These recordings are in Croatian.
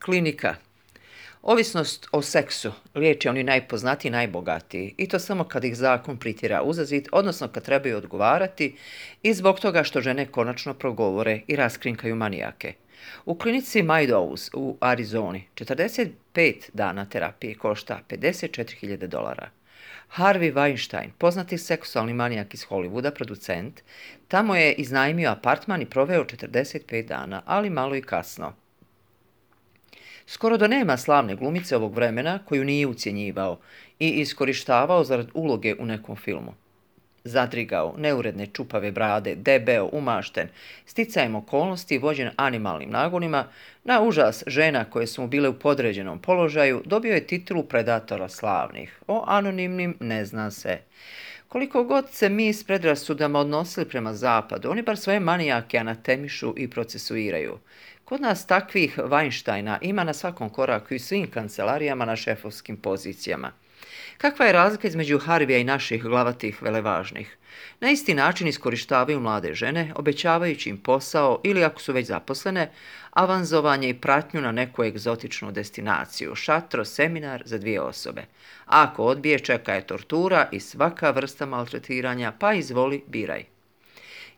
Klinika. Ovisnost o seksu liječe oni najpoznatiji i najbogatiji, i to samo kad ih zakon pritjera uzazit, odnosno kad trebaju odgovarati i zbog toga što žene konačno progovore i raskrinkaju manijake. U klinici Meadows u Arizoni 45 dana terapije košta $54.000. Harvey Weinstein, poznati seksualni manijak iz Hollywooda, producent, tamo je iznajmio apartman i proveo 45 dana, ali malo i kasno. Skoro da nema slavne glumice ovog vremena koju nije ucjenjivao i iskorištavao zarad uloge u nekom filmu. Zadrigao, neuredne čupave brade, debeo, umašten, sticajem okolnosti vođen animalnim nagonima, na užas žena koje su mu bile u podređenom položaju, dobio je titulu predatora slavnih. O anonimnim ne zna se. Koliko god se mi s predrasudama odnosili prema zapadu, oni bar svoje manijake anatemišu i procesuiraju. Kod nas takvih Weinsteina ima na svakom koraku i svim kancelarijama na šefovskim pozicijama. Kakva je razlika između Harvija i naših glavatih velevažnih? Na isti način iskorištavaju mlade žene, obećavajući im posao ili, ako su već zaposlene, avanzovanje i pratnju na neku egzotičnu destinaciju, šatro, seminar za 2 osobe. A ako odbije, čeka je tortura i svaka vrsta maltretiranja, pa izvoli, biraj.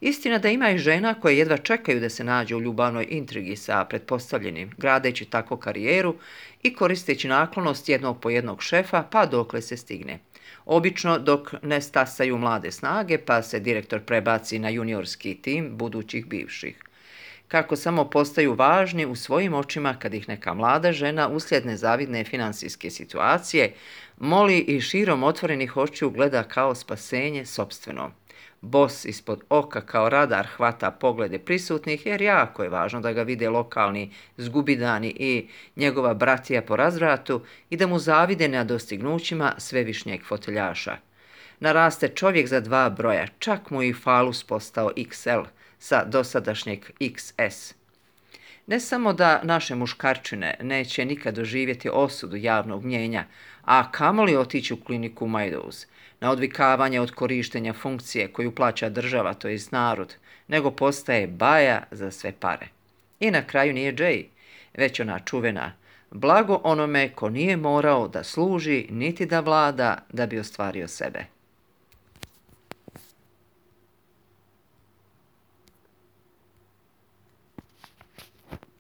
Istina da ima i žena koje jedva čekaju da se nađu u ljubavnoj intrigi sa pretpostavljenim, gradeći tako karijeru i koristeći naklonost jednog po jednog šefa, pa dokle se stigne. Obično dok ne stasaju mlade snage, pa se direktor prebaci na juniorski tim budućih bivših. Kako samo postaju važni u svojim očima kad ih neka mlada žena uslijed nezavidne finansijske situacije moli i širom otvorenih očiju gleda kao spasenje sopstveno. Bos ispod oka kao radar hvata poglede prisutnih jer jako je važno da ga vide lokalni zgubidani i njegova bratija po razvratu i da mu zavide na dostignućima svevišnjeg foteljaša. Naraste čovjek za 2 broja, čak mu i falus postao XL sa dosadašnjeg XS. Ne samo da naše muškarčine neće nikad doživjeti osudu javnog mnjenja, a kamoli otići u kliniku Meadows, na odvikavanje od korištenja funkcije koju plaća država, to jest narod, nego postaje baja za sve pare. I na kraju nije Jay, već ona čuvena: blago onome ko nije morao da služi niti da vlada da bi ostvario sebe.